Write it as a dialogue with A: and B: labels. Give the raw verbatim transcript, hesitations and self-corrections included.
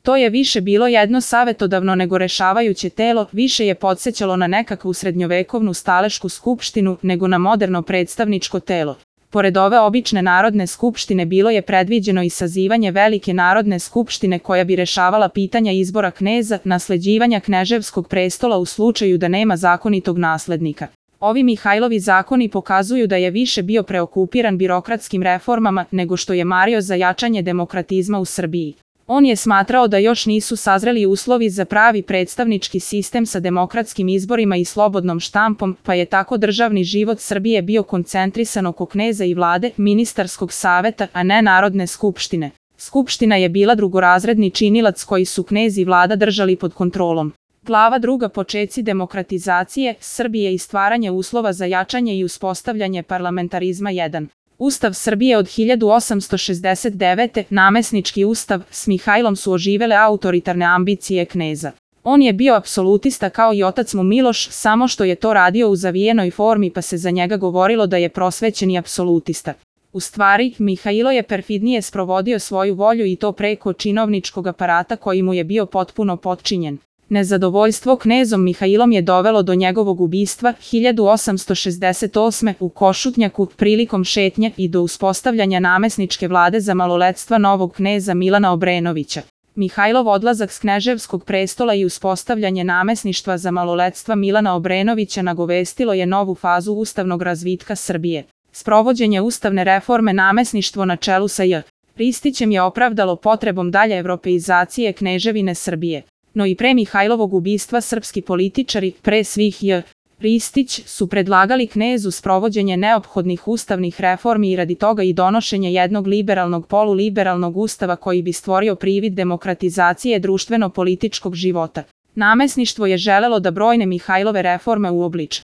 A: To je više bilo jedno savetodavno nego rešavajuće telo, više je podsećalo na nekakvu srednjovekovnu stalešku skupštinu nego na moderno predstavničko telo. Pored ove obične narodne skupštine bilo je predviđeno i sazivanje velike narodne skupštine koja bi rešavala pitanja izbora kneza, nasleđivanja kneževskog prestola u slučaju da nema zakonitog naslednika. Ovi Mihajlovi zakoni pokazuju da je više bio preokupiran birokratskim reformama nego što je mario za jačanje demokratizma u Srbiji. On je smatrao da još nisu sazreli uslovi za pravi predstavnički sistem sa demokratskim izborima i slobodnom štampom, pa je tako državni život Srbije bio koncentrisan oko kneza i vlade, ministarskog saveta, a ne Narodne skupštine. Skupština je bila drugorazredni činilac koji su knez i vlada držali pod kontrolom. Glava druga Počeci demokratizacije Srbije i stvaranje uslova za jačanje i uspostavljanje parlamentarizma jedan. Ustav Srbije od hiljadu osamsto šezdeset devete. Namesnički ustav, s Mihajlom su oživele autoritarne ambicije kneza. On je bio apsolutista kao i otac mu Miloš, samo što je to radio u zavijenoj formi pa se za njega govorilo da je prosvećeni apsolutista. U stvari, Mihajlo je perfidnije sprovodio svoju volju i to preko činovničkog aparata koji mu je bio potpuno potčinjen. Nezadovoljstvo knezom Mihajlom je dovelo do njegovog ubistva hiljadu osamsto šezdeset osme. u Košutnjaku prilikom šetnje i do uspostavljanja namesničke vlade za maloletstva novog kneza Milana Obrenovića. Mihajlov odlazak s kneževskog prestola i uspostavljanje namesništva za maloletstva Milana Obrenovića nagovestilo je novu fazu ustavnog razvitka Srbije. Sprovođenje ustavne reforme namesništvo na čelu sa J. Ristićem je opravdalo potrebom dalje evropeizacije kneževine Srbije. No i pre Mihajlovog ubistva srpski političari, pre svih J. Ristić, su predlagali knezu sprovođenje neophodnih ustavnih reformi i radi toga i donošenje jednog liberalnog poluliberalnog ustava koji bi stvorio privid demokratizacije društveno-političkog života. Namesništvo je želelo da brojne Mihajlove reforme uobliči.